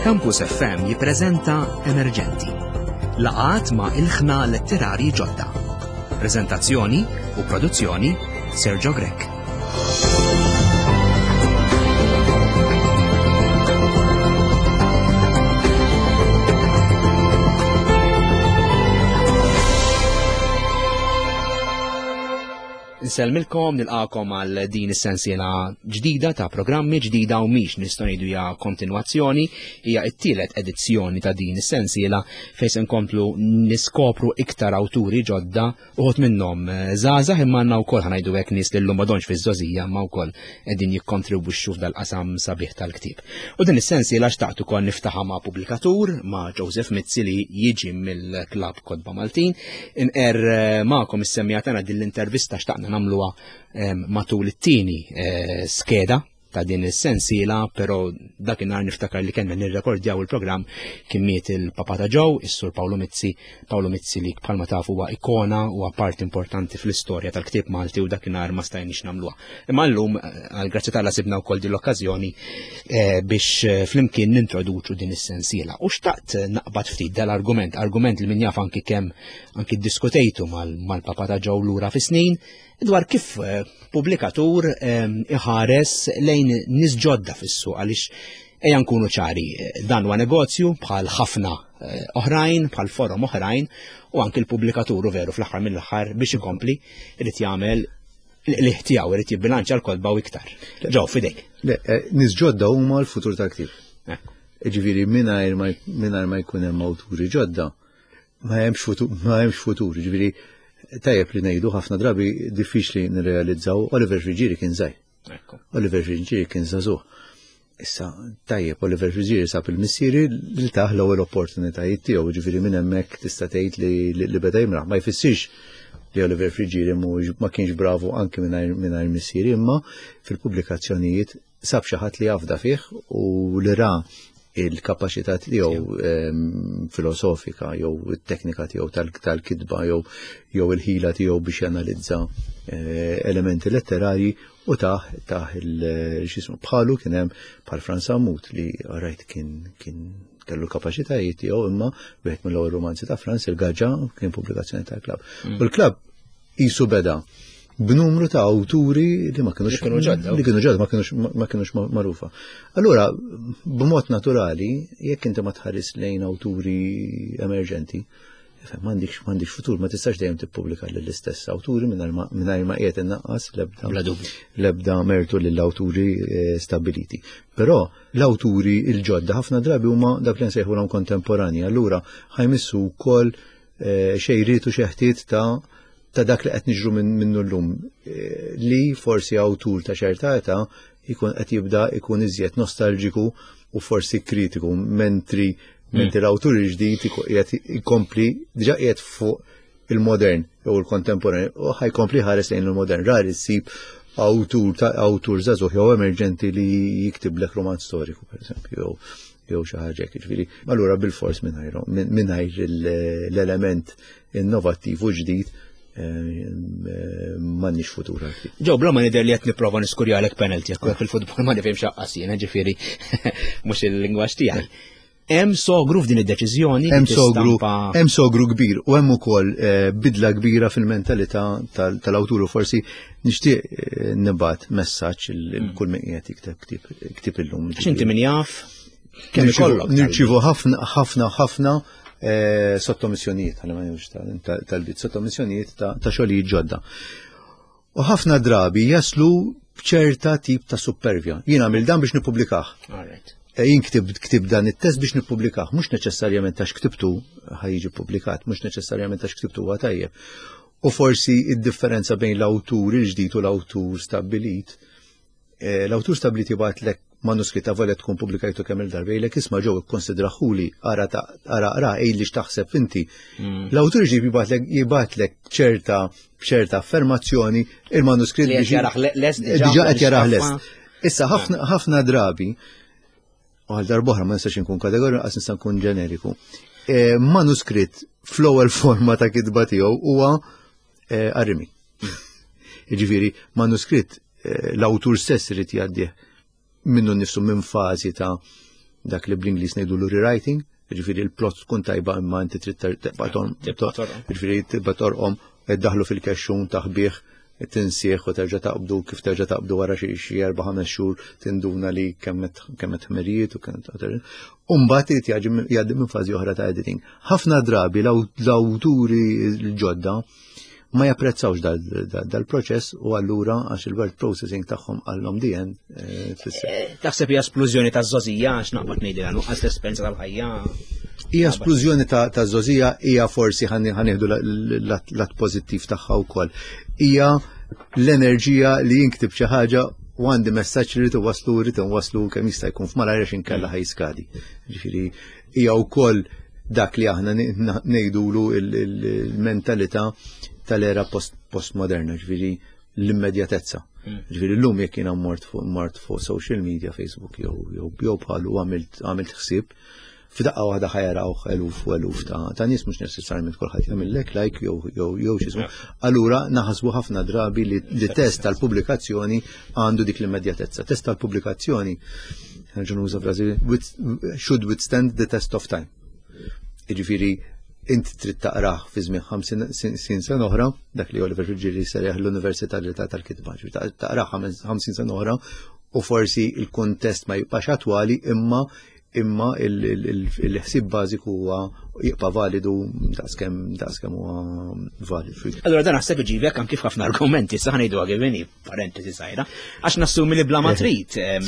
Campus FM jippreżenta Emerġenti. Laqat ma' ilħna letterari ġodda. Preżentazzjoni u produzzjoni Sergio Grech. Insellmilkom, nilqakom għal din is-sensiela ġdida ta' programmi ġdida u mhix nistgħu ngħidu hija kontinwazzjoni, hija t-tielet edizzjoni ta' din is-sensiela fejn se nkomplu niskopru iktar awturi ġodda uħud minnhom eh, żgħażagħ imma għandna wkoll ħanajdu hekk nies li llum m'għadhomx fiż-żgħożija imma wkoll qegħdin jikkontribwixxu f'dal-qasam sabiħ tal-ktieb. U din is-sensiela xtaqt ukoll niftaħa ma' pubblikatur ma' Joseph Mizzi li jiġi mill-Klabb Kotba Maltin. Inqer eh, magħkom is-semmija tagħna din l-intervista xtaqna nagħmluha eh, matul it-tieni skeda ta' din is-sensiela, però dakinhar niftakar li kellna nirrekordjaw il-programm kien miet il-papa ta' Joe, is-Sur Paolo Mizzi, Paolo Mizzi li bħalma tafu huwa ikona u parti importanti fl-istorja tal-ktieb Malti u dakinhar ma stajniex nagħmluha. Imma llum eh, għal grazzi tal sibna wkoll din l-okkażjoni eh, biex eh, flimkien nintroduċu din is-sensiela. U xtaqt naqbad ftit dal-argument, argument li min jaf anki kemm anki ddiskutejtu mal-papa ta' Joe lura fis-snin, dwar kif eh, pubblikatur ehm, iħares lejn nies ġodda fis-suq għaliex ejja nkunu ċari, eh, dan huwa negozju bħal ħafna eh, oħrajn, bħal forom oħrajn, u anki l-pubblikatur veru fl-aħħar mill-aħħar biex ikompli irid jagħmel li tiegħu irid jibbilanċja l-kolba u iktar. Ġew fidejk. Nies ġodda huma l-futur tal-ktieb. Ġifieri mingħajr ma jkun hemm awturi ġodda, ma hemmx futur, ma hemmx futur, ġifieri tajjeb li ngħidu ħafna drabi diffiċli nirrealizzaw Oliver Friggieri kien żgħir. Oliver Friggieri kien żagħżugħ. Issa tajjeb Oliver Friggieri sab il-missieri li taħ l-ewwel opportunitajiet tiegħu, ġifieri minn hemmhekk tista' tgħid li, li beda jimraħ. Ma jfissirx li Oliver Friggieri ma kienx bravu anki mingħajr missieri, imma fil-pubblikazzjonijiet sab xi ħadd li jafda fih u li ra il-kapaċità tiegħu ehm, filosofika jew it-teknika tiegħu tal-kitba jew jew il-ħila tiegħu biex janalizza eh, elementi letterarji u taħ taħ il-xismu bħalu kien hemm bħal Franz Sammut li rajt kien kien kellu l-kapaċitajiet tiegħu imma wieħed mill-ewwel romanzi ta' Franz il-Gaġa kien pubblikazzjoni tal-klabb. Mm. U l-klabb Qisu beda b'numru ta' awturi li ma kienux kienu ġodda. Li kienu ġodda, ma kienux ma kienux magħrufa. Allura, b'mod naturali, jekk inti ma tħares lejn awturi emerġenti, m'għandikx m'għandikx futur, ma tistax dejjem tippubblika lill-istess awturi mingħajr ma qiegħed innaqqas l-ebda l-ebda mertu lill-awturi eh, stabiliti. Però l-awturi il-ġodda ħafna drabi huma dak li nsejħulhom kontemporani, allura ħajmissu wkoll Eh, xejriet u xeħtiet ta' ta' dak li qed niġru minnu llum eh, li forsi awtur ta' ċerta età jkun qed jibda jkun iżjed nostalġiku u forsi kritiku mentri hmm. mentri l-awtur il-ġdid qiegħed ikompli diġà qiegħed fuq il-modern jew il-kontemporanju u ħajkompli ħares lejn il-modern rari ssib awtur ta' awtur żagħżugħ jew emerġenti li jiktiblek romanz storiku pereżempju jew jew xi ħaġa hekk, jiġifieri allura bilfors mingħajr mingħajr l-element innovattiv u ġdid eh, eh, m'għandniex futur għal Ġew bla ma nidher li qed nipprova niskurjalek penalty jekk fil-futbol ma nifhimx aqqas jiena ġifieri mhux il-lingwaġġ tiegħi. Hemm sogru f'din id-deċiżjoni. Hemm sogru, hemm sogru kbir u hemm ukoll eh, bidla kbira fil-mentalità tal-awtur u forsi nixtieq eh, nibgħat messaġġ il mm. kull min qiegħed jikteb ktieb illum. X'inti min jaf? Kemm ikollok? Nirċivu ħafna ħafna ħafna eh, sottomissjonijiet, ħalli ma nifx tal-bit, sottomissjonijiet ta' xogħlijiet ġodda. U ħafna drabi jaslu b'ċerta tip ta' supervja. Jien għamil dan biex nippubblikah. Eh, jien ktib ktib dan it-test biex nippubblikah, mhux neċessarjament għax ktibtu ħajġi publikat, mhux neċessarjament għax ktibtu huwa tajjeb. U forsi id-differenza bejn l-awtur il-ġdid u l-awtur stabbilit, eh, l-awtur stabbilit jibgħatlek manuskritt avolja tkun pubblikajtu kemm il-darba jgħidlek isma' ġew ikkonsidraħuli ara ara ara għidli x'taħseb inti. Mm. L-awtur ġib jibgħatlek jibgħatlek ċerta b'ċerta affermazzjoni il-manuskritt biex jarah lest diġà qed jarah lest. Issa ħafna drabi u għal darbohra ma nistax inkun kategoriju għas nista' nkun ġeneriku. E, manuskritt fl-ewwel forma ta' kitba tiegħu huwa e, arrimi. Jiġifieri manuskritt e, l-awtur stess irid jgħaddih minnu nnifsu minn fażi ta' dak li bl-Ingliż ngħidu rewriting, ġifieri il-plot tkun tajba imma inti trid tibqa' ġifieri tibqa' torqom, daħlu fil-kexxun taħbih, tinsieħ u terġa' taqbdu kif terġa' taqbdu wara xi erba' ħames xhur tinduna li kemm qed ħmerijiet u kemm U mbagħad irid jgħaddi minn fażi oħra ta' editing. Ħafna drabi l-awturi l-ġodda ma japprezzawx dal-proċess u allura għax il-word processing tagħhom għallhom dien eh, tfisser. Eh, taħseb hija splużjoni ta' żożija għax naqbad ngħidilha nuqqas l-esperjenza tal-ħajja. Hija splużjoni ta' żożija hija forsi ħanieħdu l-att pożittiv tagħha wkoll. Hija l-enerġija li jinktib xi ħaġa u għandi messaġġ li rrid waslu rrid waslu kemm jista' jkun f'malajr għax inkella ħajskadi. Ġifieri hija wkoll dak li aħna ngħidulu il-mentalità tal-era postmoderna, ġifieri l-immedjatezza. Hmm. Ġifieri llum jekk jiena mort fuq mort fuq social media, Facebook jew jew bħalu għamilt ħsieb, f'daqqa waħda ħajaraw eluf u eluf ta' ta' nies mhux neċessarjament kulħadd jagħmillek like jew jew jew x'ismu. Allura naħasbu ħafna drabi li, li test tal-pubblikazzjoni għandu dik l-immedjatezza. Test tal-pubblikazzjoni nerġa' nuża frażi should withstand the test of time. Jiġifieri int trid taqrah fi żmien 50 sena oħra, dak li Oliver Friggieri serjaħ l-Università tal-Kitba, taqrah 50 sena oħra u forsi il-kuntest ma jibqax attwali imma imma il-ħsieb bażiku huwa jibqa' validu daqskemm daqskemm huwa validu. Allura dan naħseb iġibek anki f'ħafna argumenti, sa ħanejdu għagivini, parentesi sajra, għax nassumi li bla ma trid eh,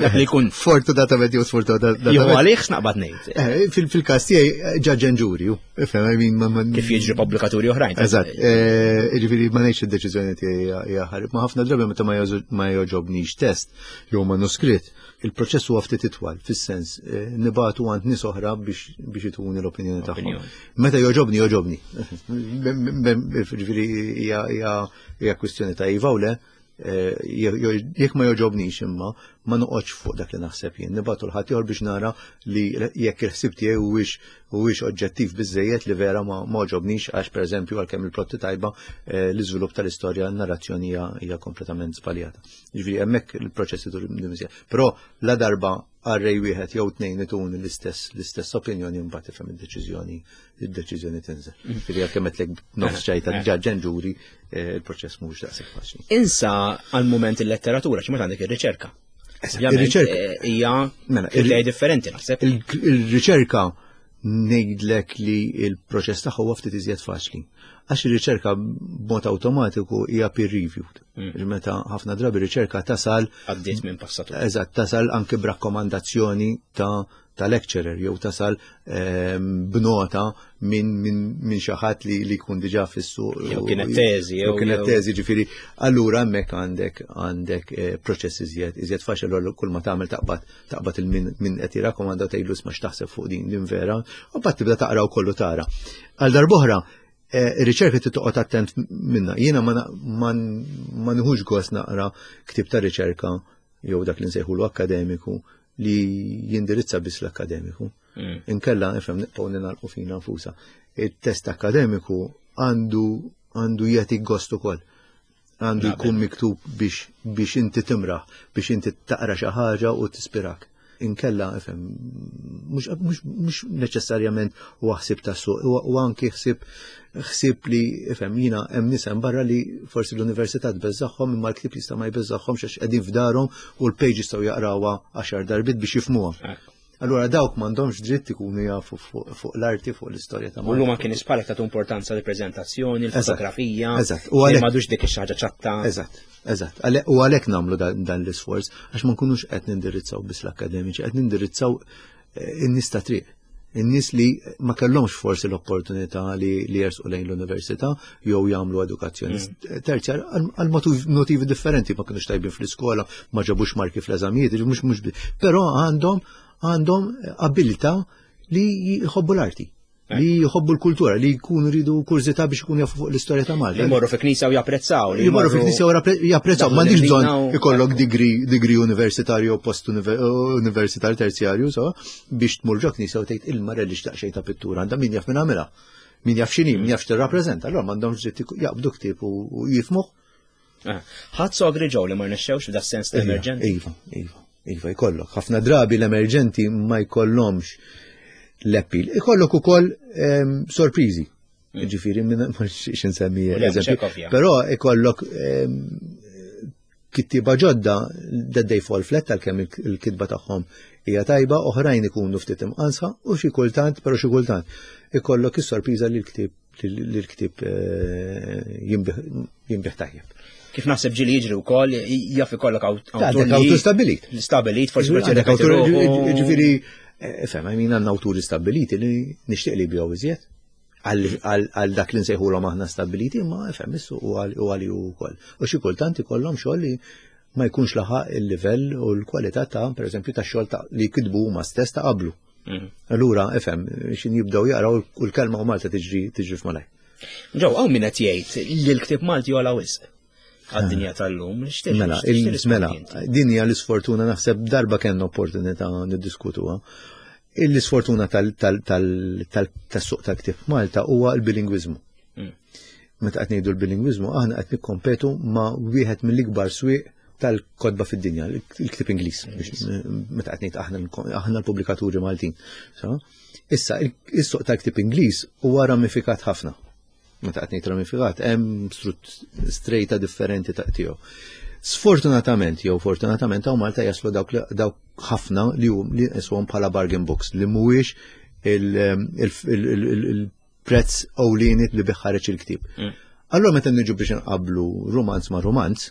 dak li jkun. Fortunatament jew sfortunatament. Jew għalih x'naqbad ngħid. Eh, fil-każ tiegħi eh, ġaġġen ġuri, ifhem, I mean, Kif jiġri pubblikaturi oħrajn. Eżatt, jiġifieri ma ngħidx id-deċiżjoni tiegħi hija ħarib, ma ħafna drabi meta ma jogħġobnix test jew manuskritt Il-proċess huwa ftit itwal, fis-sens eh, nibatu għand nies oħra biex biex ituni l-opinjoni tagħhom. Meta joġobni, joġobni. Ġifieri hija kwistjoni ta' iva u le, eh, jekk ma joġobnix imma ma noqgħodx fuq dak li naħseb jien, nibatu l-ħadd ieħor biex nara li jekk il-ħsieb tiegħi huwiex huwiex oġġettiv biżejjed li vera ma għoġobnix għax pereżempju għalkemm il-plotti tajba eh, l-iżvilupp tal-istorja n-narrazzjoni hija kompletament żbaljata. Ġifieri hemmhekk il-proċess idur dimżja. Però la darba għarrej wieħed jew tnejn itun l-istess l-istess opinjoni mbagħad tifhem id-deċiżjoni id-deċiżjoni tinżel. Mm. Ġifieri għalkemm qedlek nofs ċajta eh. ġaġġen ġuri eh, il-proċess mhux daqshekk faċli. Insa għal-mument il-letteratura x'ma għandek ir-riċerka. Ir-riċerka eh, hija mela, differenti naħseb. Il-riċerka ngħidlek li il-proċess tagħha huwa ftit iżjed faċli. Għax ir-riċerka b'mod awtomatiku hija peer reviewed. Mm. Meta ħafna drabi riċerka tasal għaddiet minn passatur. Eżatt, tasal anke b'rakkomandazzjoni ta' ta' lecturer jew tasal ehm, b'nota minn min, min xi ħadd li, li jkun diġà fis-suq. Jew kienet teżi, jew kienet teżi, ġifieri. Allura hemmhekk għandek għandek eh, proċess iżjed iżjed faċli kull ma tagħmel taqbad taqbad il-min min qed jirrakkomanda tgħidlu isma' x'taħseb fuq din din vera, u mbagħad tibda taqra u kollu tara. Għal darb'oħra, eh, ir-riċerka trid toqgħod attent minna. Jiena ma nieħux gost naqra ktib ta' riċerka jew dak li nsejħulu akkademiku li jindirizza biss l-akkademiku. Mm. Inkella nifhem nibqgħu ninalqu fina nfusa. Il-test akkademiku għandu għandu jagħti gost ukoll għandu jkun miktub biex biex inti timraħ, biex inti taqra xi ħaġa u tispirak. Inkella, ifhem, mhux neċessarjament huwa ħsieb tas-suq, u anki ħsieb ħsieb li, ifhem, jiena hemm nies hemm barra li forsi l-università tbeżżagħhom imma l-ktieb jista' ma jbeżżagħhomx għax qegħdin f'darhom u l-page jistgħu jaqrawha għaxar darbiet biex jifhmuha. Allura dawk m'għandhomx dritt ikunu jafu fuq l-arti, fuq l-istorja ta' Malta. U llum anke nies bħalek tagħtu importanza lill-preżentazzjoni, l-fotografija. Eżatt. U għalhekk m'għadux dik ix-ħaġa ċatta. Eżatt, eżatt. U għalhekk nagħmlu dan l-isforz għax ma nkunux qed nindirizzaw biss l-akkademiċi, qed nindirizzaw eh, in-nies ta' triq in-nies li ma kellhomx forsi l-opportunità li, li jersqu lejn l-università jew jagħmlu edukazzjoni mm. terzjar għal motivi differenti ma kinux tajbin fl-iskola, ma ġabux marki fl-eżamijiet, mhux mhux però għandhom għandhom abilità li jħobbu l-arti li jħobbu l-kultura, li jkunu ridu kurżità biex ikunu jafu fuq l-istorja ta' Malta. Li jmorru fi knisja u japprezzaw. Li jmorru fi knisja u japprezzaw. M'għandix bżonn ikollok degree universitarju u post universitarju terzjarju, so, biex tmur ġo knisja u tgħid il-mara li xtaq xejn ta' pittura għandha min jaf min għamilha. Min jaf x'inhi, min jaf x'tirrappreżenta. Allura m'għandhomx dritt jaqbdu ktieb u jifmuh. Ah, ħadd sogri ġew li ma rnexxewx f'da sens ta' emerġenti. Iva, iva. Iva jkollok. Ħafna drabi l-emerġenti ma jkollhomx l-appeal. Ikollok ukoll ehm, sorpriżi. Mm. Ġifieri minn ma nsemmi eżempju. Però ikollok ehm, kittiba ġodda that they fall flat għalkemm il-kitba tagħhom hija tajba, oħrajn ikunu ftit imqansa u xi kultant, però xi kultant ikollok is-sorpriża li l-ktieb li l-ktieb eh, jinbih tajjeb. Kif naħseb ġili jiġri wkoll jaf ikollok awtur. Awtur stabilit. Stabilit, forsi għandek awtur ġifieri eh, fem, għajmin għandna awturi stabiliti li nixtieq li jbigħu iżjed għal dak li nsejħulhom aħna stabiliti, imma fem issu u għal u wkoll. U xi kultant ikollhom xogħol li ma jkunx laħaq il-livell u l-kwalità ta' pereżempju ta' xogħol ta' li kitbu huma stess ta' qablu. Mm. Allura, ifhem, xin jibdew jaqraw u l-kelma u Malta tiġri tiġri f'malaj. Ġew, hawn min qed jgħid li l-ktieb Malti jola wisq għad-dinja tal-lum. Mela, mela, din hija l-isfortuna naħseb darba kellna opportunità niddiskutuha. L-isfortuna tas-suq tal-ktieb Malta huwa l-bilingwiżmu. Mm. Meta qed ngħidu l-bilingwiżmu, aħna qed nikkompetu ma' wieħed mill-ikbar swieq tal-kodba fid-dinja, il-ktib Ingliż, meta qed ngħid aħna aħna l-pubblikaturi Maltin. Issa, is-suq tal-ktib Ingliż huwa ramifikat ħafna. Meta qed ngħid ramifikat, hemm strejta differenti ta' tiegħu. Sfortunatament, jew fortunatament hawn Malta jaslu dawk dawk ħafna li hum li nqisuhom bħala bargain books li mhuwiex il-prezz ewlieni li bih ħareġ il-ktieb. Mm. Allura meta niġu biex nqablu rumanz ma' rumanz,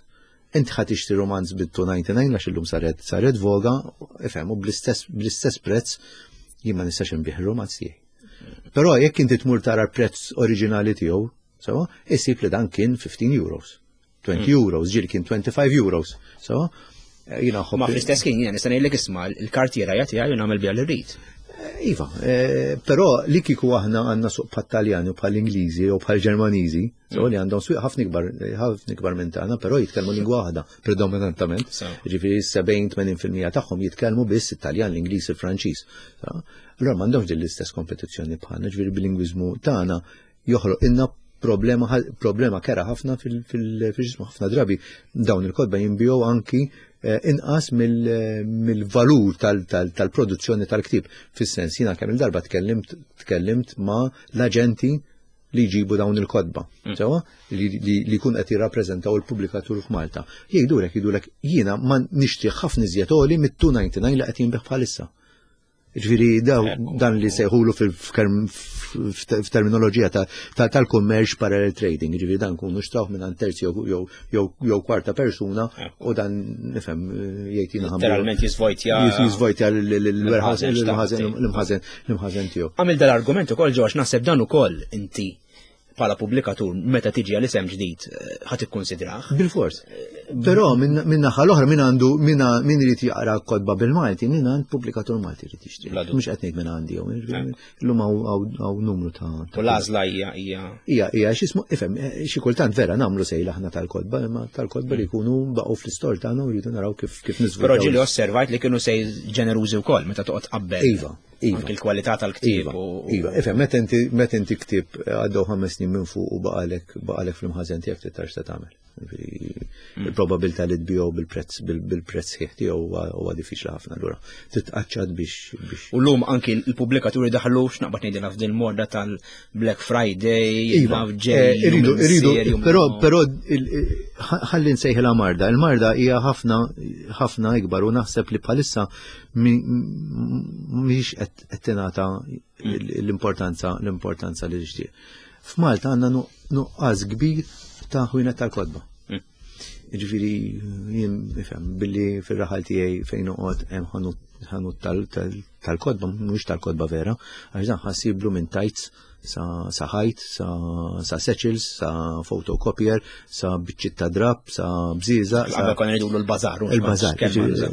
inti ħa tixtri rumanz bit-299 għax illum saret saret voga, ifhem, u bl-istess prezz jien ma nistax inbih rumanz tiegħi. Però jekk inti tmur tara l-prezz oriġinali tiegħu, sewa, isib li dan kien 15 euros. 20 mm. euros, ġieli kien 25 euros. So, eh, jina Ma fl-istess kien jina nista' ngħidlek isma' l-kartiera jagħtiha jien nagħmel biha li rrid. Eh, iva, eh, però li kieku aħna għandna suq bħal Taljani u bħal Ingliżi u bħal Ġermaniżi, so mm. li għandhom swieq ħafna ikbar ħafna ikbar minn tagħna, però jitkellmu lingwa waħda predominantament. Ġifieri 70-80% tagħhom jitkellmu biss it-Taljan, l-Ingliż, il-Franċiż. Allura m'għandhomx din l-istess kompetizzjoni bħalna, ġifieri bilingwiżmu tagħna joħloq inna problema problema kera ħafna fil-ġismu ħafna drabi dawn il-kodba jinbijow anki eh, inqas mill-valur tal-produzzjoni tal-ktib. Fis-sens jiena kemm il-darba tkellimt tkellimt ma l-aġenti li jġibu dawn il-kodba, mm. sewa li jkun qed jirrappreżentaw il-pubblikatur f'Malta. Jgħidulek jgħidulek jiena ma nixtieq ħafna iżjed għoli mit-299 li qed jinbih bħalissa. Ġifieri dan li sejħulu f'terminoloġija tal-kummerċ parallel trading, ġifieri dan kunu xtrawh minn terzi jew kwarta persuna u dan nifhem jgħid jiena Literalment jiżvojtja. Jiżvojtja l-warehouse l-imħażen l-imħażen tiegħu. Għamil dal-argument ukoll ġox naħseb dan ukoll inti bħala pubblikatur meta tiġi għal isem ġdid eh, ħadd ikkunsidrah. Bil-fors. Però minn naħa l-oħra min għandu min irid jaqra kodba bil-Malti, min għand pubblikatur Malti irid jixtri. Mhux qed ngħid minn għandi jew illum hawn numru ta' U l-għażla hija hija. Hija hija x'ismu ifhem eh, xi kultant vera nagħmlu sejl aħna tal-kodba, imma tal-kodba li jkunu baqgħu fl-istor tagħna u rridu naraw kif kif niżviluppaw. Però ġieli osservajt li kienu sejl ġenerużi wkoll meta toqgħod qabel. Iva. Iva. Anki l-kwalità tal-ktieb. Iva, iva. Ifhem, meta inti meta inti ktieb eh, għaddew ħames snin minn fuq u baqalek baqalek fl-imħażen tiegħek tittar x'ta tagħmel. Mm. Il-probabilità li tbiegħu bil-prezz bil-prezz ħieħ tiegħu huwa diffiċli ħafna allura titqaċċat biex biex. U llum anki l-pubblikaturi daħlu x'naqbad ngħidilha f'din morda tal-Black Friday, iva, eh, iridu iridu però però ħalli nsejħilha marda. Il-marda hija ħafna ħafna ikbar u naħseb li bħalissa mhix qed tingħata l-importanza l-importanza li tixtieq. F'Malta għandna nuqqas kbir ta' ħwienet tal-kotba. Mm. Ġifieri jien nifhem billi fir-raħal tiegħi fejn noqgħod hemm ħanut tal-kotba, mhux tal-kotba vera, għax dan ħassiblu minn tajts sa ħajt, sa satchels, sa photocopier, sa biċċiet ta' drab, sa bżiża. Qabel konna ngħidulu l-bażar. Il-bażar,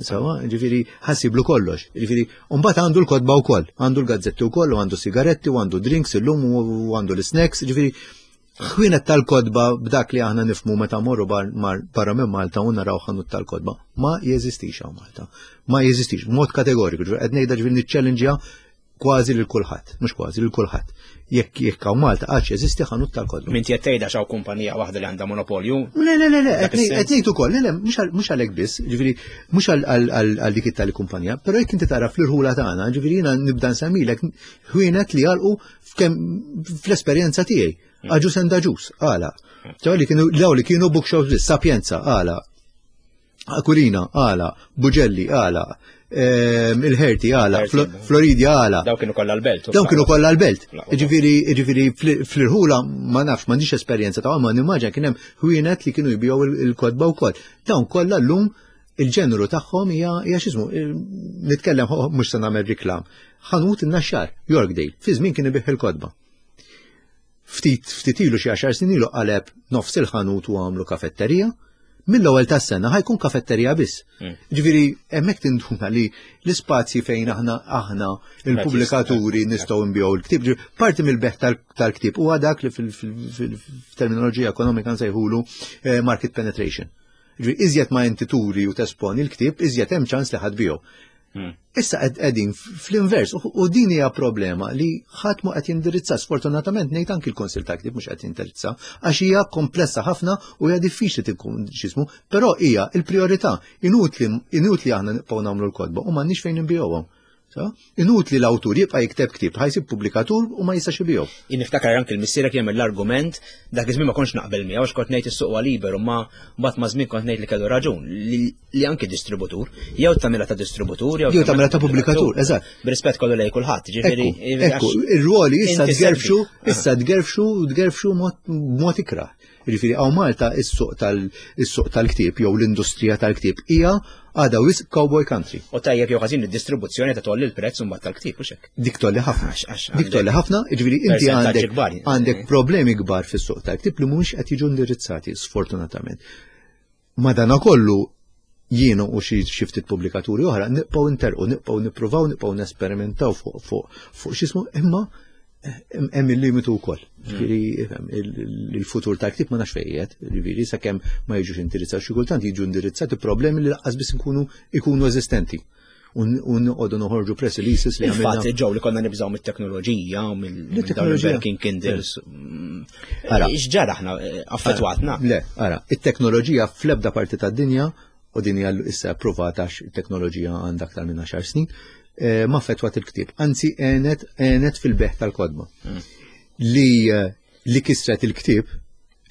sawa, ġifieri ħassiblu kollox. Ġifieri, mbagħad għandu l-kotba wkoll, għandu l-gazzetti wkoll, u għandu sigaretti, u għandu drinks illum, u għandu l-snacks, ġifieri ħwienet tal-kodba b'dak li aħna nifmu meta morru barra minn Malta u naraw ħanut tal-kodba. Ma jeżistix hawn Malta. Ma jeżistix, mod kategoriku, ġifieri qed ngħidha ġifieri niċċellinġja. kważi lil kulħadd, mhux kważi lil kulħadd. Jekk jekk hawn Malta għadx jeżisti ħanut tal-kotba. Min qed tgħidha x'hawn kumpanija waħda li għandha monopolju? Le, le, le, le, qed ngħid ukoll, le, le, mhux għalhekk biss, ġifieri mhux għal dik it-tali kumpanija, però jekk inti tara fl-irħula tagħna, ġifieri jiena nibda nsemmilek ħwienet li għalqu fl-esperjenza tiegħi. Hmm. Aġus and aġus, għala. Daw li kienu daw li kienu bookshops biss, Sapienza, għala. Akulina, għala, Buġelli, għala, ehm, il-Herti, għala, Floridia, għala. Daw kienu kollha l-belt. Daw kienu kollha l-belt. Ġifieri, ġifieri fl-irħula ma nafx, m'għandix esperjenza ta' ma nimmaġa kien hemm ħwienet li kienu jbigħu il-kotba wkoll. Dawn kollha llum il-ġeneru tagħhom hija hija x'ismu, nitkellem mhux se nagħmel riklam. Ħanut in-Naxxar, Yorkdale, fi żmien kien ibih il-kotba. Ftit ftit ilu xi għaxar snin ilu qaleb nofs il-ħanut u għamlu kafetterija. Mill-ewwel tas-sena ħajkun kafetterija biss. Hmm. Ġifieri hemmhekk tinduna li l-ispazji fejn aħna aħna il-pubblikaturi nistgħu nbigħu l-ktieb. Parti mill-beħ tal-ktieb huwa dak li fil-terminoloġija ekonomika nsejħulu eh, market penetration. Ġifieri iżjed ma inti turi u tesponi l-ktieb, iżjed hemm ċans li ħadd biegħu. Hmm. Issa qegħdin fl-invers u din hija problema li ħadd ma qed jindirizza sfortunatament ngħid anki l-Kunsil ta' Ktieb mhux qed jindirizza għax hija komplessa ħafna u hija diffiċli tkun x'ismu, però hija l-priorità inutli inutli aħna nibqgħu nagħmlu l-kotba u m'għandniex fejn inbihom. Inutli l-awtur jibqa' jikteb ktieb ħajsib pubblikatur u ma jistax ibigħu. Jien niftakar anke l-missierek jagħmel l-argument dak iż-żmien ma kontx naqbel miegħu għax kont ngħid is-suq huwa liberu ma mbagħad ma' żmien kont ngħid li kellu raġun li anke distributur jew tagħmilha ta' distributur jew tagħmilha ta' pubblikatur, eżatt. B'rispett kollu lej kulħadd, ġifieri. Ekku, ir-ruoli issa tgerfxu, issa tgerfxu, tgerfxu mod ikrah. Jiġifieri hawn Malta is-suq tal-suq tal-ktieb jew l-industrija tal-ktieb hija għadha wisq cowboy country. U tajjeb jew ħażin id-distribuzzjoni ta' tolli l-prezz imbagħad tal-ktieb u xek. Dik tolli ħafna. Dik tolli ħafna, jiġifieri inti għandek għandek problemi kbar fis-suq tal-ktieb li mhumiex qed jiġu indirizzati sfortunatament. Madanakollu jiena u xi ftit pubblikaturi oħra nibqgħu nterqu, nibqgħu nippruvaw, nibqgħu nesperimentaw fuq fuq fuq x'ismu imma eh, hemm il-limitu wkoll. Ġifieri il-futur tal-ktieb ma nafx fejn qiegħed, ġifieri sakemm ma jiġux indirizzati xi kultant jiġu indirizzati problemi li laqqas biss ikunu ikunu eżistenti u noqogħdu noħorġu press releases li għamilna. Fatt ġew li konna nibżgħu mit-teknoloġija u mill-teknoloġija Kindles. Mm. Ara, x'ġara aħna eh, affettwatna? Le, ara, it-teknoloġija fl-ebda parti tad-dinja u din hija issa approvata għax it-teknoloġija għandha aktar minn 10 snin, eh, ma affettwat il-ktieb, anzi għenet għenet fil-beħ tal-kodba. Mm. Li eh, li kisret il-ktieb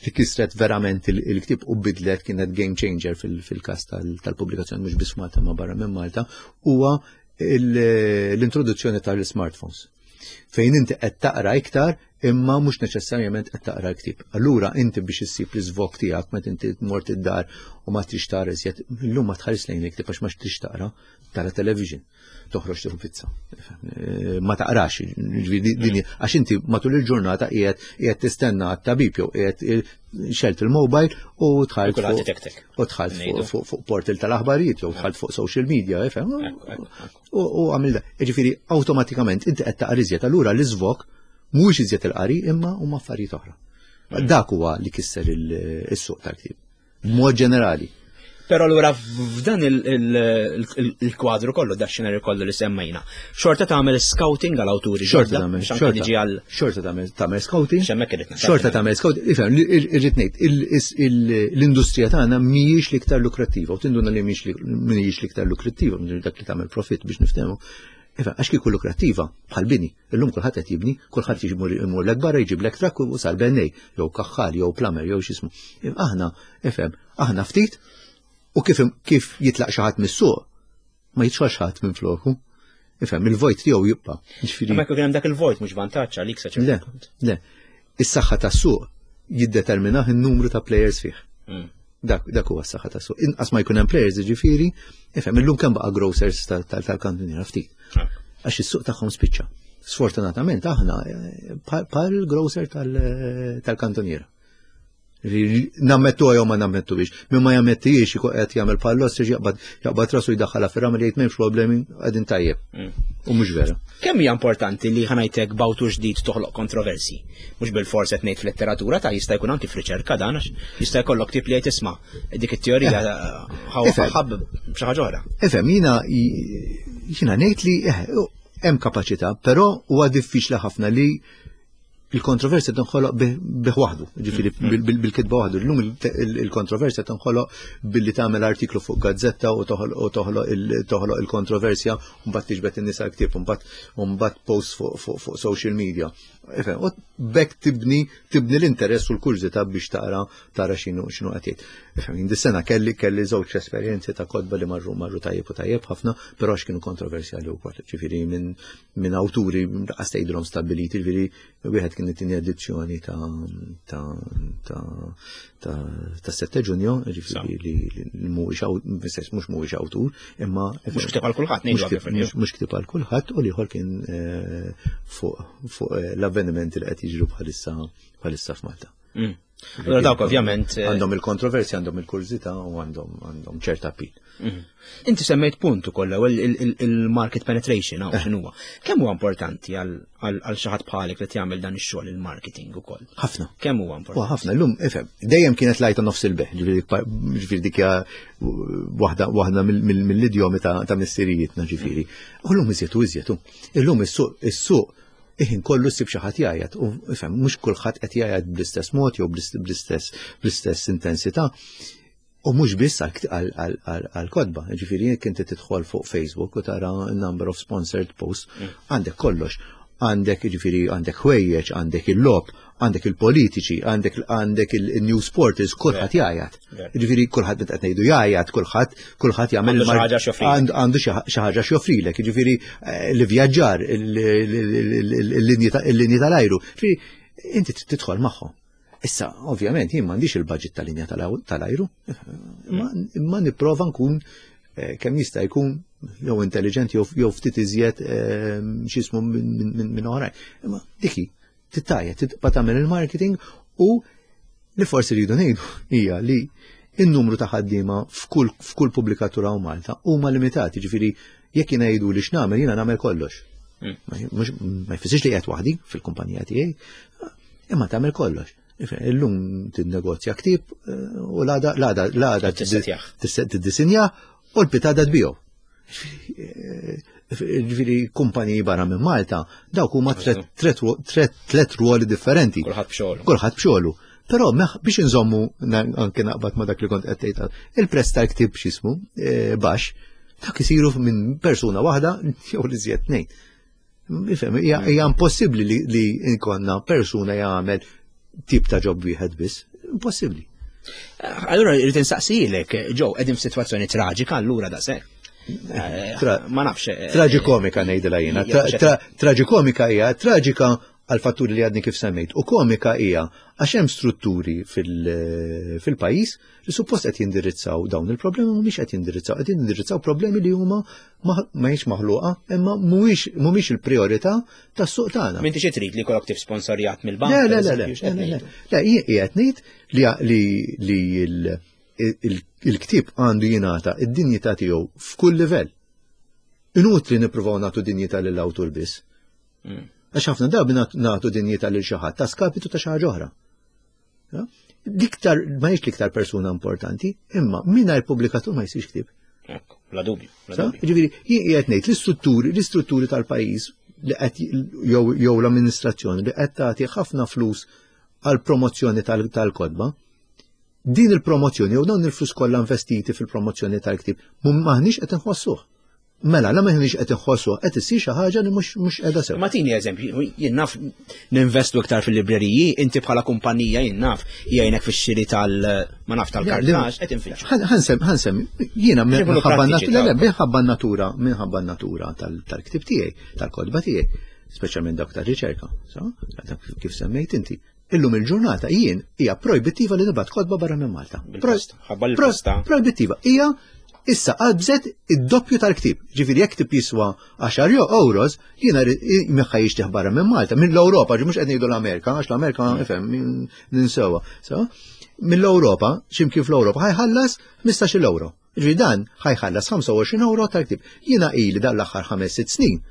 li kisret verament il-ktieb u bidlet kienet game changer fil-każ tal-pubblikazzjoni mhux biss Malta ma barra minn Malta huwa l-introduzzjoni tal-smartphones. Fejn inti qed taqra iktar imma mhux neċessarjament qed taqra l-ktieb. Allura inti biex issib l-iżvok tiegħek meta inti mort id-dar u ma trix tara iżjed, illum ma tħares lejn il-ktieb għax ma trix taqra, tara television. toħroġ tieħu pizza. Eh, ma taqrax, għax inti matul il-ġurnata qiegħed qiegħed tistenna għat-tabib jew qiegħed eh, xelt il-mobile u tħalt u tħalt fuq portal tal-aħbarijiet jew tħalt fuq social media, ifhem. U għamil da. Ġifieri awtomatikament inti qed taqra iżjed, allura l-iżvok mhuwiex iżjed il-qari imma huma affarijiet oħra. Mm. Dak huwa li kisser il-suq tal-ktieb. B'mod ġenerali. Pero allura f'dan il-kwadru kollu, da xenarju kollu li semmejna, xorta tagħmel scouting għal awturi. Xorta tagħmel, xorta tagħmel tagħmel scouting. Xorta tagħmel scouting. Ifhem, irrid ngħid, l-industrija tagħna mhijiex l-iktar lukrattiva u tinduna li mhijiex l-iktar lukrattiva, dak li tagħmel profit biex niftehmu. Ifhem, għax kieku lukrattiva bħal bini, Illum kulħadd qed jibni, kulħadd jimur imur lek barra jġiblek trakk u sar bennej, jew kaħħal, jew plumber, jew x'ismu. Aħna, ifhem, aħna ftit u kif kif jitlaq xi ħadd mis-suq, ma jidħolx ħadd minn floku. Ifhem, il-vojt tiegħu jibqa'. Ġifieri. Ma jkun hemm dak il-vojt mhux vantaġġ għalik sa Le, le. Is-saħħa tas-suq jiddeterminah in-numru ta' players fih. Mm. Dak dak huwa s-saħħa tas-suq. Inqas ma jkun hemm players jiġifieri, ifhem illum kemm baqa' grocers tal-kantuniera ftit. Ah. Għax is-suq tagħhom spiċċa. Sfortunatament aħna eh, bħal grocer tal-kantuniera. Nammettu jew ma nammettu biex. Min ma jammettijiex ikun qed jagħmel pallos jaqbad jaqbad rasu jdaħħalha fir-ramel jgħid m'hemmx problemi qegħdin tajjeb. Mm. U mhux vera. Kemm hija importanti li ħanajtek bawtu ġdid toħloq kontroversi? Mhux bil-fors qed ngħid fil-letteratura ta' jista' jkun anki f'riċerka dan għax jista' jkollok tip li jgħid isma' dik it-teorija eh, ħabb xi ħaġa oħra. Efhem jiena jiena ngħid li eh, Hemm kapaċità, però huwa diffiċli ħafna li il-kontroversja tinħoloq bih waħdu, ġifieri bil-kitba waħdu. Illum il-kontroversja tinħoloq billi tagħmel artiklu fuq gazzetta u toħloq il-kontroversja u mbagħad tiġbed in-nies għall-ktieb u mbagħad post fuq social media. Ifhem, u bekk tibni tibni l-interess u l-kurżità biex taqra tara x'inhu x'inhu qed jgħid. Ifhem, jien dis-sena kelli kelli żewġ esperjenzi ta' kotba li marru marru tajjeb u tajjeb ħafna, però għax kienu kontroversjali wkoll. Ġifieri minn minn awturi laqas tgħidilhom stabbiliti, ġifieri wieħed kien it-tieni edizzjoni ta' ta' ta' ta' ta' 7 Ġunju, ġifieri li mhuwiex mhux mhuwiex awtur, imma mhux ktieb għal kulħadd ngħidu mhux ktieb għal kulħadd u l-ieħor kien eh, fuq eh, l-avvenimenti li qed jiġru bħalissa bħalissa f'Malta. Mm. Allora dawk ovvjament eh, għandhom il-kontroversja, għandhom il-kurżità u għandhom għandhom ċerta appeal. Mhm. Inti semmejt punt ukoll il-market penetration hawn eh. x'inhuwa. Kemm huwa importanti għal xi ħadd bħalek li jagħmel dan ix-xogħol il-marketing ukoll? Ħafna. Kemm huwa importanti? Ħafna, llum ifhem, dejjem kienet lajta nofs il-beħ, ġifieri dik waħda waħda mill-idjomi ta' missirijietna ġifieri. U llum iżjed u iżjed. Illum is-suq is-suq iħin kollu ssib xi ħadd jgħajjat u ifhem mhux kulħadd qed jgħajjat bl-istess mod jew bl-istess bl-istess intensità. U mhux biss għal-kodba, ġifieri jekk inti tidħol fuq Facebook u tara number of sponsored posts, mm. għandek kollox. Għandek ġifieri għandek ħwejjeġ, għandek il-lob, għandek il-politiċi, għandek għandek il-news portals, kulħadd jgħajjat. Ġifieri kulħadd meta qed ngħidu jgħajjat, kulħadd kulħadd jagħmel għandu xi ħaġa x'joffrilek, ġifieri eh, l-vjaġġar, il-linji tal-ajru. Ġifieri inti tidħol magħhom. Issa, ovvjament, jien m'għandix il-budget tal-linja tal-ajru, imma nipprova nkun eh, kemm jista' jkun jew intelligent jew ftit iżjed eh, x'ismu minn oħrajn. Imma diki, tittajja, tibqa' tagħmel il-marketing u li forsi rridu ngħidu hija li in-numru ta' ħaddiema f'kull pubblikatura u Malta huma limitati, ġifieri jekk jiena jgħidu li x'nagħmel jiena nagħmel kollox. Mm. Ma jfissirx li qiegħed waħdi fil-kumpanija tiegħi, imma tagħmel kollox. Illum tinnegozja ktieb eh, u l-għada l-għada l-għada tiddisinja u l-pitada tbiegħu. Ġifieri kumpaniji barra minn Malta, dawk huma tlet ruoli differenti. Kulħadd b'xogħlu. Kulħadd b'xogħlu. Però biex inżommu anke naqbad ma dak li kont qed tgħid, il-prezz tal-ktieb x'ismu eh, baxx, dak isiru minn persuna waħda jew li żjed tnejn. Ifhem, hija impossibbli li nkonna persuna jagħmel tip ta' ġob wieħed biss. Impossibbli. Allura rrid insaqsilek, ġew qegħdin f'sitwazzjoni traġika allura daqshekk. Eh, ma nafx. Eh, Traġikomika ngħidilha jiena. Traġikomika hija traġika għal fatturi li għadni kif semmejt. U komika hija għax hemm strutturi fil-pajjiż li suppost qed jindirizzaw dawn il-problemi mhumiex qed jindirizzaw, qed jindirizzaw problemi li huma ma hijiex maħluqa imma mhumiex il-priorità tas-suq tagħna. M'inti xi trid li jkollok tif sponsorjat mill-bank? Le, le, le, le, le, qiegħed ngħid li li il-ktieb għandu jingħata id-dinjità tiegħu f'kull livell. Inutli nippruvaw nagħtu dinjità lill-awtur biss. Mm. Għax ħafna drabi nagħtu dinjità lil xi ħadd ta' skapitu ta' xi ħaġa oħra. L-iktar, ma jiex l-iktar persuna importanti, imma mingħajr pubblikatur ma jsirx ktieb. Ekku, bla dubju. Ġifieri, jien qiegħed ngħid l-istrutturi, l-istrutturi tal-pajjiż li qed jew l-amministrazzjoni li qed tagħti ħafna flus għal promozzjoni tal-kodba, din il-promozzjoni jew dawn il-flus kollha investiti fil-promozzjoni tal-ktieb m'aħniex qed inħossuh. Mela, la m'aħniex qed inħossuh qed issir xi ħaġa li mhux mhux qiegħda sew. Ma tini eżempju, jien naf ninvestu iktar fil-libreriji, inti bħala kumpanija jien naf jgħinek fix-xiri tal ma naf tal-kartax qed infittxu. Ħansem, ħansem, jiena minħabba natura, minħabba natura, minħabba natura tal-ktieb tiegħi, tal-kodba tiegħi, speċjalment dawk tar-riċerka, kif semmejt inti. Illum il-ġurnata jien hija projbittiva li nibgħat kotba barra minn Malta. Projbittiva. Hija issa qabżet id-doppju tal-ktib. Ġifieri jekk ktib jiswa 10 euros, jiena meħħa jixtieħ barra minn Malta, minn l-Ewropa, ġi mhux qed ngħidu l-Amerika, għax l-Amerika mm. ifhem ninsewa. So, mill-Ewropa, x'imkien fl-Ewropa ħajħallas 15 euro. Ġifieri dan ħajħallas 25 euro tal-ktib. Jiena ili dan l-aħħar 5-6 snin.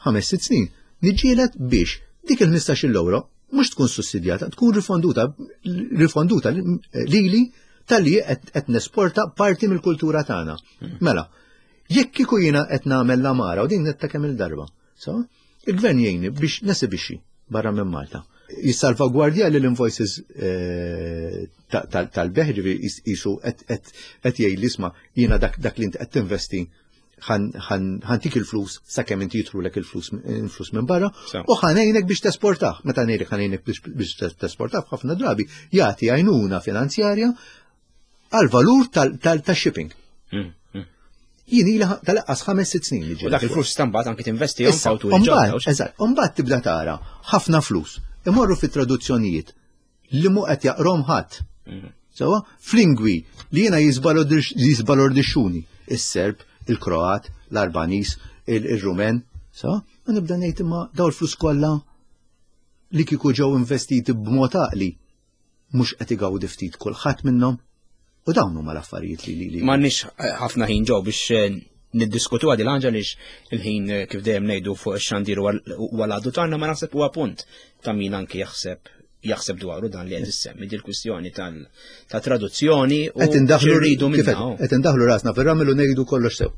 5-6 snin niġġieled biex dik il-15 euro mhux tkun sussidjata, tkun rifonduta rifonduta lili tal-li qed nesporta parti mill-kultura tagħna. Hmm. Mela, jekk kieku jiena qed nagħmel l-amara u din netta kemm il-darba. So, il-gvern jgħinni biex nesibixxi barra minn Malta. Jissalvagwardja li l-invoices eh, tal-beħ ġifieri jisu qed jgħid li isma' jiena dak li inti qed tinvesti ħantik il-flus sakemm inti jitrulek il-flus minn barra u ħanejnek biex tesportaħ. Meta ngħidlek ħanejnek biex tesportaħ ħafna drabi jagħti għajnuna finanzjarja għal valur tal-shipping. Mm, mm. Jien ila tal-aqqas 5-6 snin li ġej. U dak il-flus stambat anki tinvesti f'awturi ġodda. Eżatt, u tibda tara ħafna flus imorru fit-traduzzjonijiet li mu qed jaqrom ħadd. Mm. Sewa, f'lingwi li jiena jisbalordixxuni, is-Serb, il-Kroat, l-Arbaniż, il-Rumen, sewa, u nibda ngħid imma daw il-flus kollha li kieku ġew investiti b'mod għaqli mhux qed igawdi ftit kulħadd minnhom. U dawn huma l-affarijiet li li. M'għandniex eh, ħafna ħin ġew biex eh, niddiskutu għadi l-ħanġa lix il-ħin eh, kif dejjem ngħidu fuq ix-xandir u għal-għadu tagħna ma naħseb huwa punt ta' min anki jaħseb jaħseb dwaru dan li qed issemmi dil kwistjoni ta' traduzzjoni u qed indaħlu rridu minna. Qed indaħlu rasna fir-ramel u ngħidu kollox sew.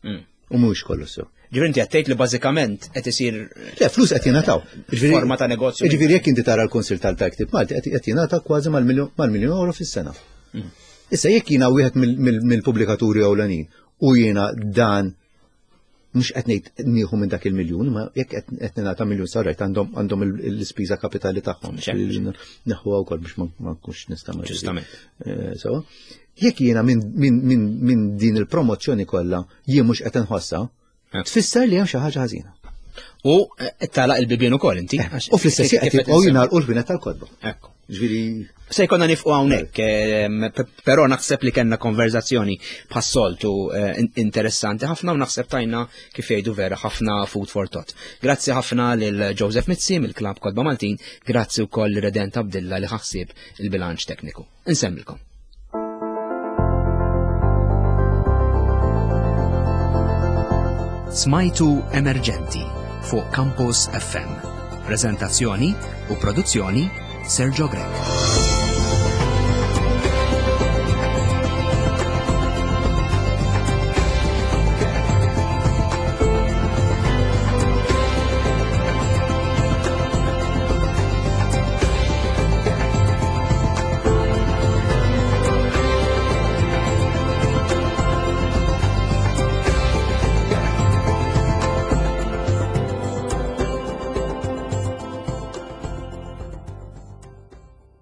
Mm. U mhux kollox sew. Ġifieri inti qed tgħid li bażikament qed isir Le, flus qed jingħataw. Forma ta' negozju. Ġifieri jekk inti tara l-Kunsill tal-Ktieb Malti qed jingħata kważi mal-miljun euro fis-sena. Mm. Issa jekk jiena wieħed mill-pubblikaturi ewlenin u jiena dan mhux qed ngħid nieħu minn dak il-miljun, ma jekk qed ningħata miljun sarajt għandhom għandhom l-ispiża kapitali tagħhom. Neħuha wkoll biex ma nkunx nista' Ġustament. Eh, sewa. Jekk jiena minn din il-promozzjoni kollha jien mhux qed inħossha, eh. tfisser li hemm xi ħaġa ħażina. U eh, tala il-bibien ukoll inti. Eh, u fl-istess qed jibqgħu jingħalqu l-ħwienet tal-kotba. Ekku. Ġifieri Se jkollna nifqu hawnhekk, però naħseb li kellna konverzazzjoni bħas-soltu interessanti ħafna u naħseb tajna kif jgħidu vera ħafna food for thought. Grazzi ħafna lil Joseph Mizzi mill-Klabb Kotba Maltin, grazzi wkoll Redent Abdilla li ħaħsib il-bilanċ tekniku. Insemmilkom. Smajtu Emerġenti fuq Campus FM. Prezentazzjoni u produzzjoni Sergio Grech.